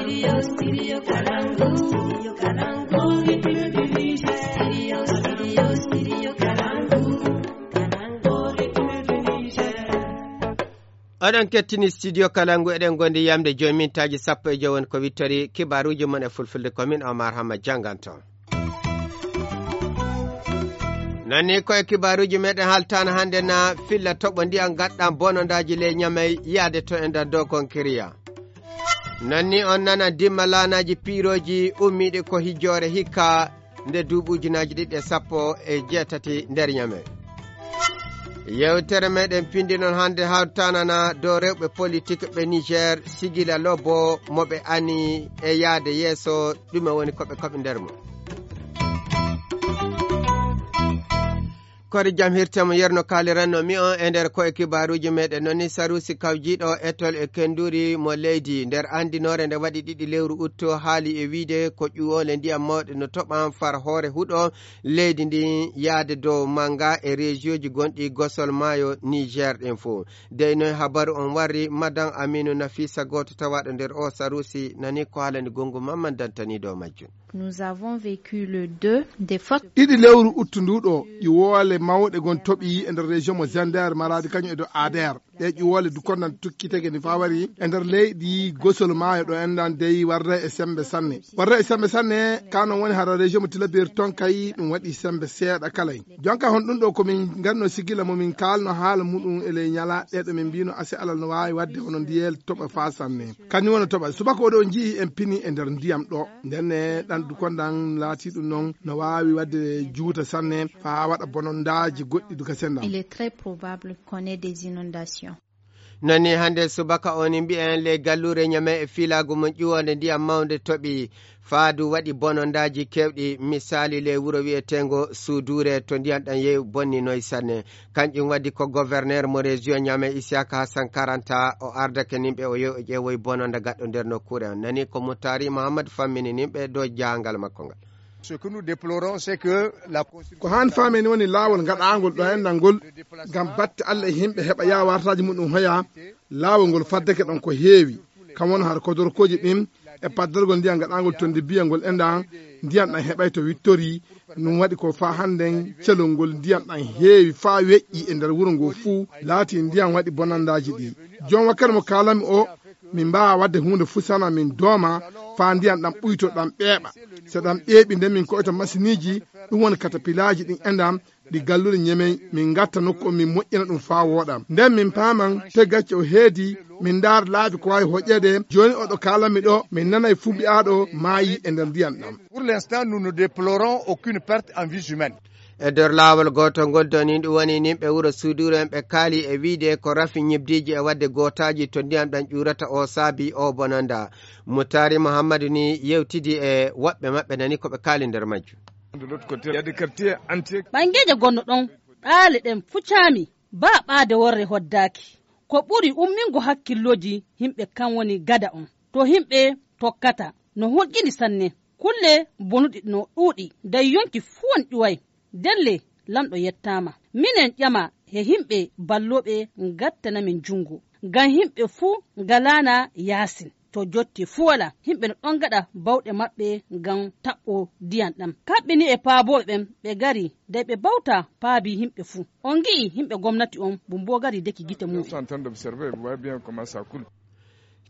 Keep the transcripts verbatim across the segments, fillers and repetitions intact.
Oɗon kettini studio Kalangu, eɗen gondi yamde joyi mintaaji sappo e joyi woni ko wittori kibaaruuji mon e fulfulde, ko min Omar Hamma jannganto. Nanni ko e kibaaruuji meɗen haltaana hannde na filla toɓo ndiyam gaɗɗam bonondaaji ley Ñamey yaade to e nder dow Konkiriya. Nanni on nana dimma laanaaji piirooji ummiiɗi ko hijjoore hikka nde duuɓi ujunaaji ɗiɗi e sappo e jeetati nder Ñamey. Yewtere meɗen pindinon hannde hawtanana dow rewɓe politik ɓe Niger, sigila lobo mo ɓe ani e yaade yeeso, ɗume woni ko ɓe koɓi nder mum. Kori jam hirte mo yerno kaaliranno mi on e nder koye kibaaruuji meɗen. Noni Sarusi kawjiiɗo etol e kenduri mo leydi nder andinoore nde waɗi ɗiɗi lewru utto haali e wiide ko ƴuwoole ndiyam mawɗe no toɓan far hoore huɗo leydi ndin yaade dow manga e région ji gonɗi gosol maayo Niger ɗin fof. Dey noy habaru on warri, Madan Aminu Nafisa, gooto tawaaɗo nder o Sarusi, nani ko haalani gongu mamman dantaniiɗo majjum. Nous avons vécu le deux des fortes. Ɗiɗi lewru uttu nduɗo, ƴuwoole mawɗe gon toɓi e nder région mo Zander, Maradi kañum e do Ader. Ɗe ƴuwoole dukondan tukkitege ni fawari e nder leydi gosol maayo ɗo endan dey warda e sembe sanne. Warda e sembe sanne, ka non woni hara région mo Tilaberi ton kay ɗum waɗi sembe seeɗa kala. Jonka hon ɗum ɗo ko min ganno sigila mo min kalno haala muɗum e ley ñala ɗeɗo min mbino ase alal no waawi wadde hono ndiyel toɓa fa sanne. Kañum wona toɓa. Subaka oɗo on nji'i en pini e nder ndiyam ɗo. Ndenne ɗan dukondan laati ɗum non no waawi wadde juuta sanne fa waɗa bonondaaji goɗɗi duka sendam. Il est très probable qu'on ait des inondations. Nani hannde subaka o ni mbi'en ley galluure Ñamey e fiilaagu mum ƴuwonde ndiyam mawnde toɓi faadu waɗi bonondaaji keewɗi, misaali ley wuro wi'eteengo Suuduure to ndiyam ɗam yehi bonninoy sanne. Kanƴum waɗi ko gouverneur mo région Ñamey Isiyaka Hassan Karanta o ardake nimɓe o yehi o ƴeewoy bononda gaɗɗo nder nokkuure on. Nani ko Mutari Muhammad fammini nimɓe dow jahangal makko ngal. Ce que nous déplorons, c'est que la constitution. Ko han faameni woni laawol ngaɗaangol ɗo enɗan ngol ngam batte Allah e yimɓe heɓa yaha wartaaji muɗum hoya. Laawol ngol faddake ɗon ko heewi, kam won har kodorkooji ɗin e paddargol ndiyam ngaɗaangol to ndibbiya ngol enɗan ndiyam ɗan heɓay to wittori. Ɗum waɗi ko faa hannden celol ngol ndiyam ɗan heewi faa weƴƴi e nder wuro ngoo fuu, laati ndiyam waɗi bonandaaji ɗi. Joom wakkati mo kaalami o, min mbaawa waɗde huunde fuu sana min dooma faa ndiyam ɗam ɓuyto ɗam ɓeeɓa. So ɗam ɓeeɓi nden min koyta masiniiji, ɗum woni katapilaaji ɗin enɗam ɗi galluɗe Ñemey, min ngatta nokku on min moƴƴina ɗum faa wooɗa. Nden min paaman to gacce o heedi, min ndaara laabi ko waawi hoƴƴeede. Jooni oɗo kaalami ɗo, min nanay fuu mbi'aaɗo maayi e nder ndiyam ɗam. Pour l'instant, nous ne déplorons aucune perte en vies humaines. E nder laawol gootol ngol doni ɗum woni nimɓe wuro Suuduure en ɓe kaali e wiide ko rafi ñibdiiji e waɗde gootaaji to ndiyam ɗam ƴuurata o saabi o bonanda. Mutaari Muhammadu ni yewtidi e woɓɓe maɓɓe nani ko ɓe kaali nder majjum. Ɓanngeeje gonno ɗon ɗaale ɗen fucaami baa ɓaade worre hoddaaki. Ko ɓuri ummingo hakkillooji yimɓe kan woni gada on to yimɓe tokkata no hulƴini sanne. Kulle bonuɗi no ɗuuɗi dey yonki fuu on ƴuway. Delle lanɗo yettaama. Minen ƴama he yimɓe ballooɓe ngattana min junngo ngam yimɓe fuu ngalaana yaasin. To jotti fuu walaa yimɓe no ɗon ngaɗa bawɗe maɓɓe ngam taɓɓo ndiyam ɗam. Kaɓɓini e paabooɓe ɓen ɓe gari dey ɓe bawta paabi yimɓe fuu. On ngi'i yimɓe gomnati on mbo mbo gari deki gite mumen.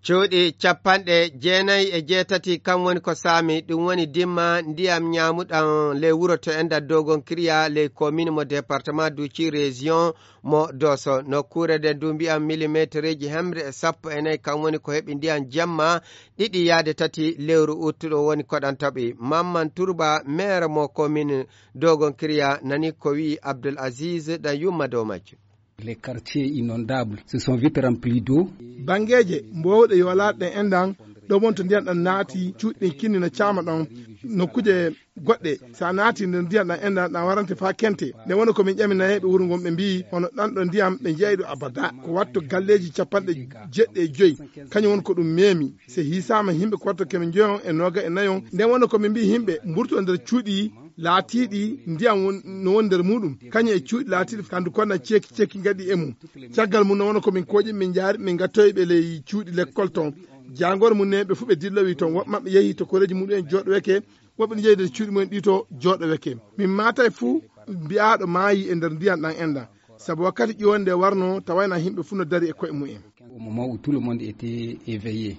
Cuuɗi capanɗe jeenayi e jeetati kam woni ko saami ɗum woni dimma ndiyam ñaamuɗam ley wuro to enɗan dogon kiriya ley komin mo département duci région mo doso nokkuure nde ndu mbiyam millimétreji hemre e sappo e nayi kam woni ko heɓi ndiyam jamma ɗiɗi yaade tati lewru uttuɗo woni koɗan taɓi. Mamman Turba, maire mo komin dogon kiriya, nani ko wi'i Abdul Aziz ɗan yumma dow majjum. Les quartiers inondables se sont vite remplis d'eau. Banngeeje mboowɗe yoolaaɗe ɗen enɗan ɗo wonto ndiyam ɗam naati cuuɗi ɗin kinni no caama ɗon. Nokkuuje goɗɗe so a naati nder ndiyam ɗam enɗan ɗam warante faa kente. Nde woni ko min ƴami nayeeɓe wuro ngon ɓe mbi'i hono ɗan ɗo ndiyam ɓe njeeyɗo abada ko watto galleeji capanɗe jeɗɗi e joyi. Kañum woni ko ɗum meemi. Se hiisaama yimɓe ko watto keme njoyon e nooga e nayon. Nden woni ko min mbi'i yimɓe mburto nder cuuɗi Laatiiɗi ndiyam won no woni nder muɗum, kañum e cuuɗi laatiiɗi kandu konna ceeki ceeki ngaɗi e mum. Caggal mum no wona ko min kooƴi, min njaari, min ngattoyi ɓe ley cuuɗi lekkol toon. Jaangoore mum ne ɓe fof ɓe dillowi toon, woɓɓe maɓɓe yehi to koreeji muɗum en jooɗoweke, woɓɓe ne njehi nder cuuɗi mumen ɗi to jooɗoweke. Min maatay fuu mbiyaaɗo maayi e nder ndiyam ɗam enɗam, sabu wakkati ƴiwonde warno tawayna yimɓe fuu no dari e koye mumen. Au moment où tout le monde était éveillé.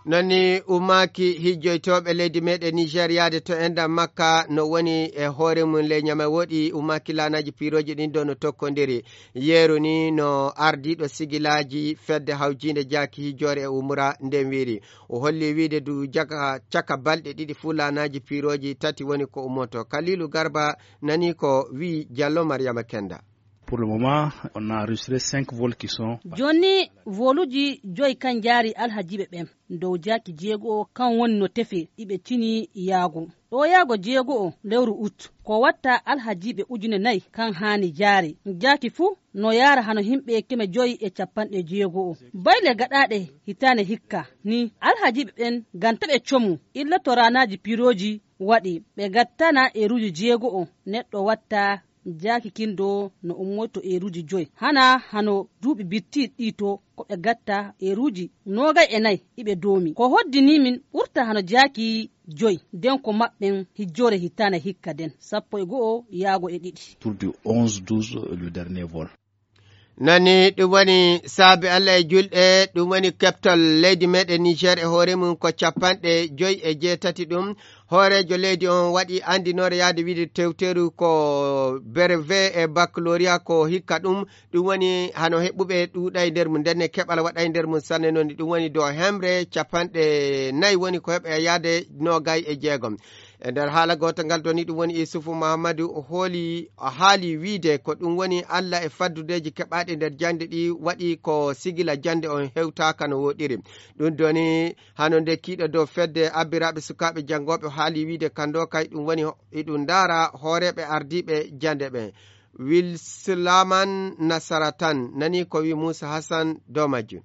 Nani umaaki hijjoytooɓe leydi meɗen Niger yaade to enda Makka no woni e hoore mum ley ñama woɗi umaaki laanaaji piirooji ɗin ɗo no tokkondiri. Yeeru ni no ardiiɗo sigilaaji fedde hawjiinde jaaki hijjoore e umura nden wiiri. O holli wiide du jaka, caka balɗe ɗiɗi fuu laanaaji piirooji tati woni ko ummoto. Kalilu Garba nani ko wi'i Jallo Maryama Kenda. Pour le moment, on a enregistré cinq vols qui sont Jooni, voluuji joyi kan njaari alhajiiɓe ɓen. Dow jaaki jeego kan woni no tefe iɓe cini yaago. Ɗo yaago jeego o lewru ut, ko watta alhajiiɓe ujune nayi kan haani jaare. Jaaki fuu no yaara hano himɓe keme joyi e capanɗe jeego o. Bayle gaɗaaɗe hitaane hikka ni alhajiiɓe ɓen ganta ɓe comu illa to raanaaji piirooji waɗi. Ɓe gattana eeruuji jeego o neɗɗo watta jaaki kin do no ummoto eeruuji joyi. Hana hano duuɓi bittiiɗi ɗi to ko ɓe gatta eeruuji noogay e nayi iɓe doomi. Ko hoddini min ɓurta hano jaaki joyi. Den ko maɓɓen hijjoore hitaane hikka den, sappo e go'o yaago e ɗiɗi. Tour du onze douze, le dernier vol. Nani ɗum woni saabe Allah e julɗe, ɗum woni keptal leydi meɗen Niger e hoore mum ko capanɗe joyi e jeetati ɗum. Hooreejo leydi on waɗi anndinoore yaade wiide tewteru ko brevet e baccalauréat ko hikka ɗum. Ɗum woni hano heɓɓuɓe ɗuuɗay nder mum, ndenne keɓal waɗay nder mum sanne noon. Ɗum woni dow hemre capanɗe nayi woni ko heɓa yaade noogay e jeegom. E nder haala gooto ngal to ni ɗum woni Isufu Mahamadu o hooli, o haali wiide ko ɗum woni Allah e faddudeeji keɓaaɗi nder jaŋde ɗi waɗi ko sigila jaŋde on hewtaaka no woɗɗiri. Ɗum doni hano nde kiiɗo dow fedde abbiraaɓe sukaaɓe janngooɓe o haali wiide kando kay ɗum woni iɗum ndaara hooreeɓe ardiiɓe jaŋde ɓe. Wilslaman Nasaratan nani ko wi Muusa Hassan dow majjum.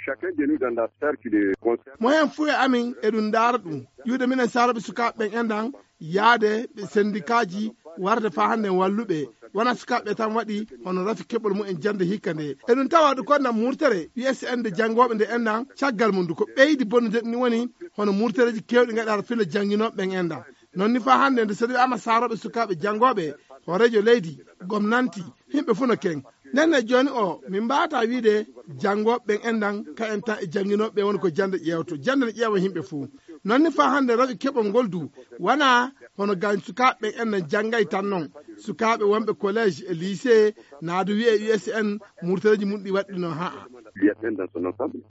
Chacun de nous dans la sphère qui le concerne. Mo heen fuu e amin eɗum ndaara ɗum. Ƴuwde minen saarooɓe sukaaɓe ɓen enɗan, yaade ɓe sendikaaji, warde faa hannde en walluɓe. Wonaa sukaaɓe ɓe tan waɗi hono rafi keɓol mumen jannde hikka nde. Eɗum tawa ɗum ko enɗan murtere, U S N nde janngooɓe nde enɗan, caggal mum du ko ɓeydi bonnude ɗum woni hono murtereeji keewɗi ngaɗaaka filla jannginooɓe ɓen enɗan. Noon ni faa hannde nde so wiyaama saarooɓe sukaaɓe janngooɓe, hooreejo leydi, gomnanti, yimɓe fuu no ken. Nden ne jooni o, min mbaawata wiide janngooɓe ɓen enɗan, ka en tan e jannginooɓe ɓe woni ko jannde ƴeewto. Jannde ne ƴeewa yimɓe fuu. Noon ni faa hannde rafi keɓol ngol du, wanaa hono gaañ sukaaɓe ɓen enɗan janngay tan noon. Sukaaɓe wonɓe collège e lycée, naa du wiyee U S N, murtereeji mum ɗi waɗɗino haa. U S N dans son ensemble.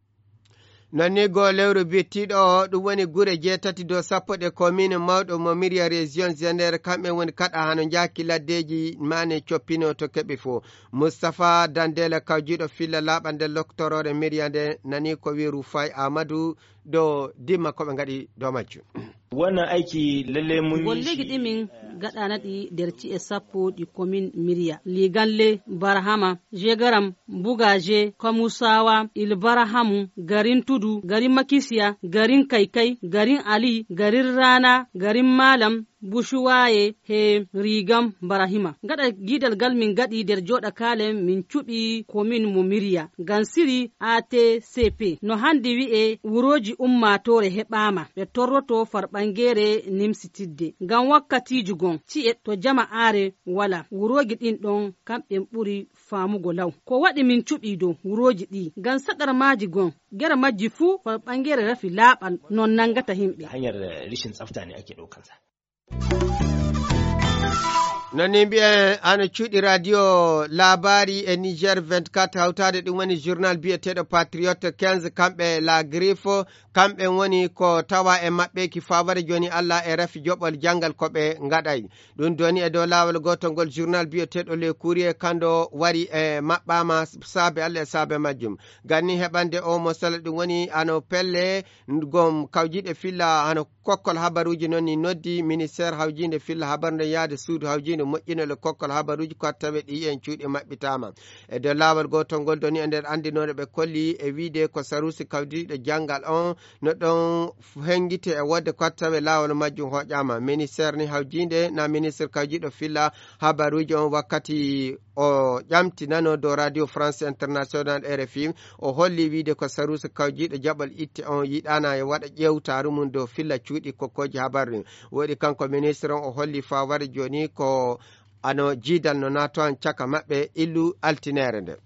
Nannigol lewru bittiiɗo o, ɗum woni gure jeetati dow sappo ɗe commune mawɗo mo Miriya région Zender, kamɓe woni kaɗa hano njaaki laddeeji maane coppino to keɓi fof. Moustapha Dandela kawjiiɗo filla laaɓal nder loktoroore Miriya nde nani ko wi'i Rufai Amadou ɗo dimma ko ɓe ngaɗi dow majjum. Wannan aiki lalle mun yi Golleeji shi ɗi min gaɗana ɗi nder ci'e sappo ɗi commune Miriya. Liganle, Barhama, Jegaram, Bugaje, Kamusawa, Ilbarahamu, garin Tudu, garin Makisiya, garin Kaikai, garin Ali, garin Rana, garin Malam, Bushuwaye, he Rigam Barahima. Gaɗa giidal gal min gaɗi nder jooɗa kaalen min cuɓi commune mo Miriya. Gansiri A T C P. No hande wi'e wurooji ummaatoore heɓaama. Ɓe torroto farɓangeere nimsitidde. Ngam wakkatiiji gon, ci'e to jama aare wala. Wurooji ɗin ɗon kamɓe ɓuri faamugo law. Ko waɗi min cuɓii dow wurooji ɗi? Ngam saɗar maaji gon, gere majji fuu farɓangeere rafi laaɓal non nangata himɓe. Hanyar, eh, rishin tsafta ne ake ɗaukansa. Nani mbi'en hano cuuɗi radio labari e Niger vingt-quatre hawtaade ɗum woni journal biyeteeɗo Patriote quinze, kamɓe La Griffe, kamɓe woni ko tawa e maɓɓe ki faware jooni Allah e rafi joɓol janngal ko ɓe ngaɗay. Ɗum doni e dow laawol gootol ngol journal biyeteeɗo Le Courrier kando wari e maɓɓaama saabe Allah e saabe majjum. Ganni heɓande o mo sala ɗum woni hano pelle gom kawjiiɗe filla hano kokkol habaruuji noon ni noddi ministère hawjiinde filla habaru nden yaade suudu hawjiinde moƴƴinol e kokkol habaruuji ko tawe ɗi en cuuɗi maɓɓitaama. E dow laawol gootol ngol doni e nder anndinoore ɓe kolli e wiide ko saruusi kawdiiɗo janngal on no ɗon hengite e wodde ko tawe laawol majjum hoƴaama. Ministeer ni hawjiinde na ministre kawjiiɗo filla habaruuji on wakkati o ƴamtinano dow Radio France International R F I, o holli wiide ko saruusi kawjiiɗo jaɓol itte on yiɗaana e waɗa ƴeewtaaru mum dow filla cuuɗi kokkooji habaru. Woɗi kanko ministre on o holli faa wari jooni ko ano jiidal no naato han caka maɓɓe illu altineere nde.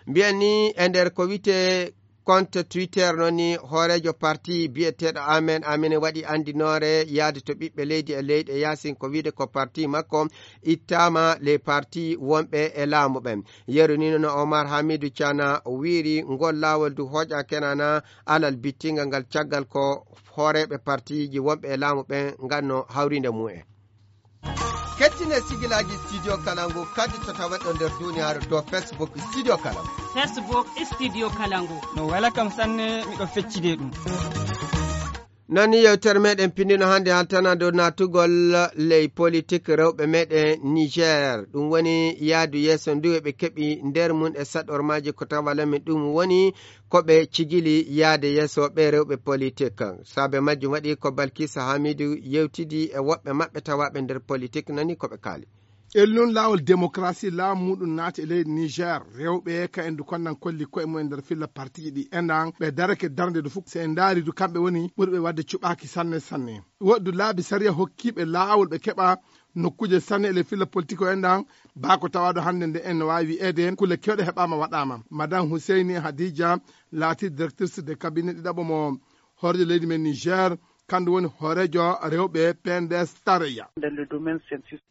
Mbiyen ni e nder ko wiyetee compte Twitter noon ni hooreejo parti biyeteeɗo Amen Amen waɗi anndinoore yaade to ɓiɓɓe leydi e leyɗe yaasin ko wiide ko parti makko ittaama les parti wonɓe e laamu ɓen. Yeru ni no Omar Hamidu Cana o wiiri ngol laawol du hooƴa kenana alal bittingal ngal caggal ko hooreeɓe partiiji wonɓe e laamu ɓen nganno hawrinde mum en. Kettine sigilaaji Studio Kalangu kadi to tawa ɗo nder duniyaaru to Facebook Studio Kalangu. Facebook Studio Kalangu. No wela kam sanne, miɗo feccide ɗum. Noon ni yewtere meɗen pindino hannde haltana dow naatugol ley politik rewɓe meɗen Niger. Ɗum woni yaadu yeeso ndu ɓe keɓi nder mum e saɗormaaji ko tawa lamin ɗum woni ko ɓe cigili yaade yeeso ɓe rewɓe politik. Saabe majjum waɗi ko Balkisa Hamidu yewtidi e woɓɓe maɓɓe tawaaɓe nder politik nani ko ɓe kaali. Ellun laawol démocratie laamu muɗum naati e leydi Niger. Rewɓe ka en du konnan kolli koye mumen nder filla partiiji ɗi enɗan ɓe darake darnde du fof. So en ndaari du kamɓe woni ɓurɓe waɗde cuɓaaki sanne sanne. Woɗdu laabi sariya hokkiiɓe laawol ɓe keɓa nokkuuje sanne e le filla politik o enɗan baa ko tawaaɗo hannde nde en no waawi wi'eede kulle kewɗe heɓaama waɗaama. Madame Husseini Hadija laati directrice de cabinet ɗiɗaɓo mo hooreejo leydi men Niger, kandu woni hooreejo rewɓe P N D S tarayya.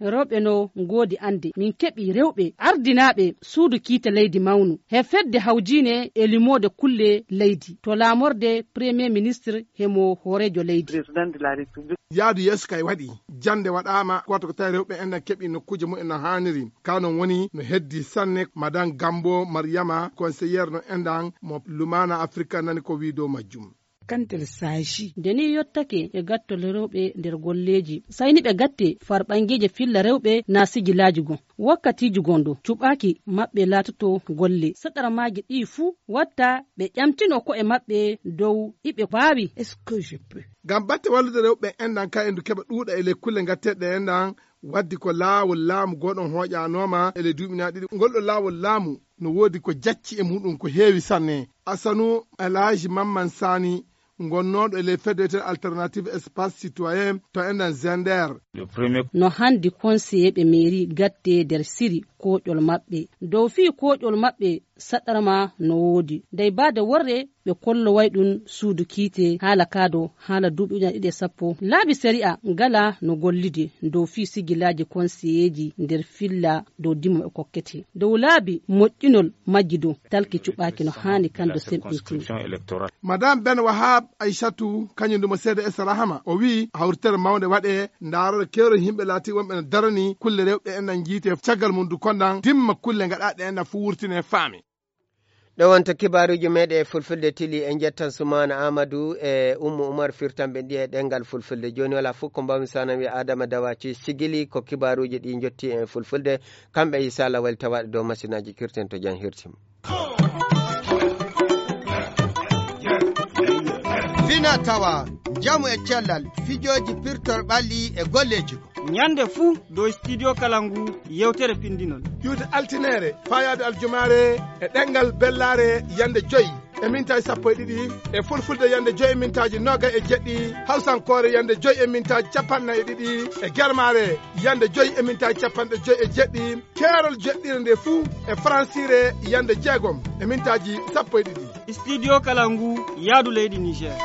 Rewɓe no ngoodi annde. Min keɓi rewɓe ardinaaɓe suudu kiite leydi mawnu. He fedde hawjiine e limoode kulle leydi. To laamorde Premier Ministre he mo hooreejo leydi. Yaadu yeeso kay waɗi. Jannde waɗaama, gooto ko tawi rewɓe en keɓi nokkuuje mumen no haaniri. Ka non woni no heddi sanne. Madame Gambo Mariama, conseillère no enɗan mo Lumana Afrika nani ko wii dow majjum. Kantel saaji. Nde ni yottake e gattol rewɓe nder golleeji. Sayni ɓe gatte farɓangeeje filla rewɓe na sigilaaji gon. Wakkatiiji gon ɗo cuɓaaki maɓɓe laatoto golle. Saɗarmaaji ɗi fuu watta ɓe ƴamtino ko'e maɓɓe dow iɓe baawi. Est-ce que je peux? Ngam batte wallude rewɓe enɗan ka endu keɓa ɗuuɗa e ley kulle gatteɗe enɗan waddi ko laawol laamu goɗon hooƴanooma e ley duuɓi na ɗiɗi. Ngol ɗo laawol laamu no woodi ko jacci e muɗum ko heewi sanne. Asanu Alhaji Mamman Sani, gonnooɗo e ley fedde wiyeteeɗo Alternative Espace Citoyen to enɗan Zender. No handi konseyeeɓe meeri gatte nder siri kooƴol maɓɓe. Dow fii kooƴol maɓɓe saɗarma no woodi. Dey baade worre ɓe kolloway ɗum suudu kiite haala kaado haala duuɓi ujunaaji ɗiɗi e sappo. Laabi sari'a ngala no gollide dow fii sigilaaji konseyeeji nder filla dow dimo e kokkete. Dow laabi moƴƴinol majji dow talki cuɓaaki no haani kando semɓintini. Madame Ben Wahab Aishatu, kañum ɗum o C D S Rahama, o wi'i hawritere mawnde waɗe ndaarore keerol yimɓe laati wonɓe no darani kulle rewɓe en nan jiite caggal mum du kondan dimma kulle ngaɗaɗe en nan fu wurtine faami. Ɗo wonta kibaaruuji meeɗe e fulfulde tili en njettan Sumaana Aamadu e Ummu Umar firtanɓe ɗi e ɗemngal fulfulde. Jooni wala fof ko mbawmi so hanan wiya Adama Dawaci sigili ko kibaaruuji ɗi njotti en fulfulde. Kamɓe Issa Lawal tawaaɗe dow masinaaji kirten to jam hirtim. Fina tawa, njamu e cellal, fijooji pirtol ɓalli e golleeji. Ñande fuu dow studio kala ngu yewtere pindinol. Iwde altineere, faayaade aljumaare e ɗemngal bellaare yande joy e mintaaji sappo e ɗiɗi, e fulfulde yande joy e mintaaji noogay e jeɗɗi, hawsankoore yande joy e mintaaji capanɗe nayi e ɗiɗi, e germaare yande joy e mintaaji capanɗe joy e jeɗɗi, keerol jeɗɗire nde fuu e faransiire yande jeegom e mintaaji sappo e ɗiɗi. Studio kala ngu yaadu leydi Niger.